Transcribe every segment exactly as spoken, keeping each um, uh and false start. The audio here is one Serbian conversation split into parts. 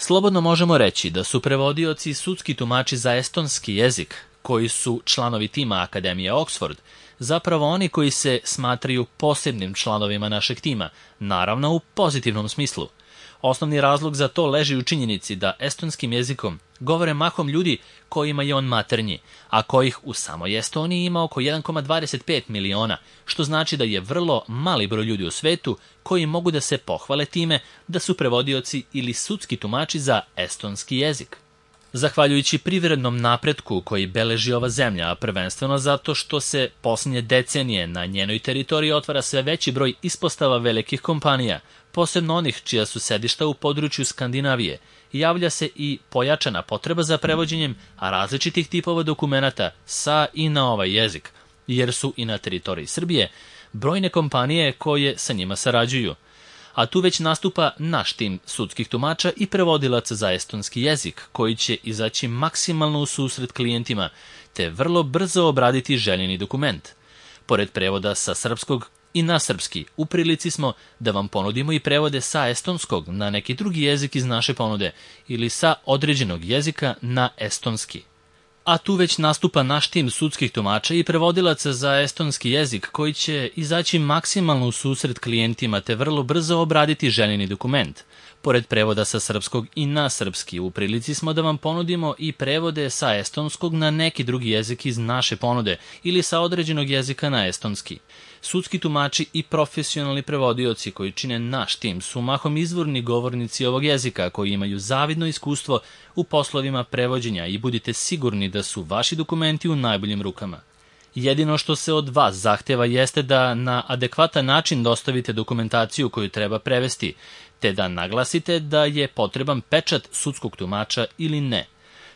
Slobodno možemo reći da su prevodioci i sudski tumači za estonski jezik, koji su članovi tima Akademije Oxford, zapravo oni koji se smatraju posebnim članovima našeg tima, naravno u pozitivnom smislu. Osnovni razlog za to leži u činjenici da estonskim jezikom govore mahom ljudi kojima je on maternji, a kojih u samoj Estoniji ima oko jedan zarez dvadeset pet miliona, što znači da je vrlo mali broj ljudi u svetu koji mogu da se pohvale time da su prevodioci ili sudski tumači za estonski jezik. Zahvaljujući privrednom napretku koji beleži ova zemlja, a prvenstveno zato što se posljednje decenije na njenoj teritoriji otvara sve veći broj ispostava velikih kompanija, posebno onih čija su sedišta u području Skandinavije, javlja se i pojačana potreba za prevođenjem različitih tipova dokumenata sa i na ovaj jezik, jer su i na teritoriji Srbije brojne kompanije koje sa njima sarađuju. A tu već nastupa naš tim sudskih tumača i prevodilaca za estonski jezik, koji će izaći maksimalno u susret klijentima, te vrlo brzo obraditi željeni dokument. Pored prevoda sa srpskog i na srpski, u prilici smo da vam ponudimo i prevode sa estonskog na neki drugi jezik iz naše ponude ili sa određenog jezika na estonski. A tu već nastupa naš tim sudskih tumača i prevodilaca za estonski jezik koji će izaći maksimalno u susret klijentima te vrlo brzo obraditi željeni dokument. Pored prevoda sa srpskog i na srpski, u prilici smo da vam ponudimo i prevode sa estonskog na neki drugi jezik iz naše ponude ili sa određenog jezika na estonski. Sudski tumači i profesionalni prevodioci koji čine naš tim su mahom izvorni govornici ovog jezika koji imaju zavidno iskustvo u poslovima prevođenja i budite sigurni da su vaši dokumenti u najboljim rukama. Jedino što se od vas zahteva jeste da na adekvatan način dostavite dokumentaciju koju treba prevesti, te da naglasite da je potreban pečat sudskog tumača ili ne.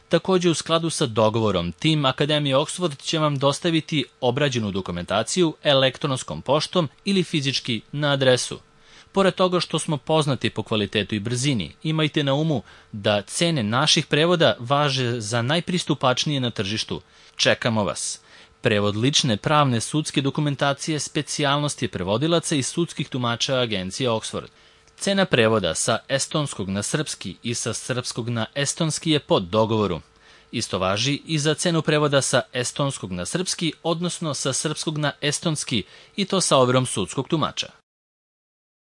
Također, u skladu sa dogovorom, tim Akademije Oxford će vam dostaviti obrađenu dokumentaciju elektronskom poštom ili fizički na adresu. Pored toga što smo poznati po kvalitetu i brzini, imajte na umu da cene naših prevoda važe za najpristupačnije na tržištu. Čekamo vas. Prevod lične pravne sudske dokumentacije specijalnosti prevodilaca i sudskih tumača Agencije Oxford. Cena prevoda sa estonskog na srpski i sa srpskog na estonski je pod dogovoru. Isto važi i za cenu prevoda sa estonskog na srpski, odnosno sa srpskog na estonski, i to sa overom sudskog tumača.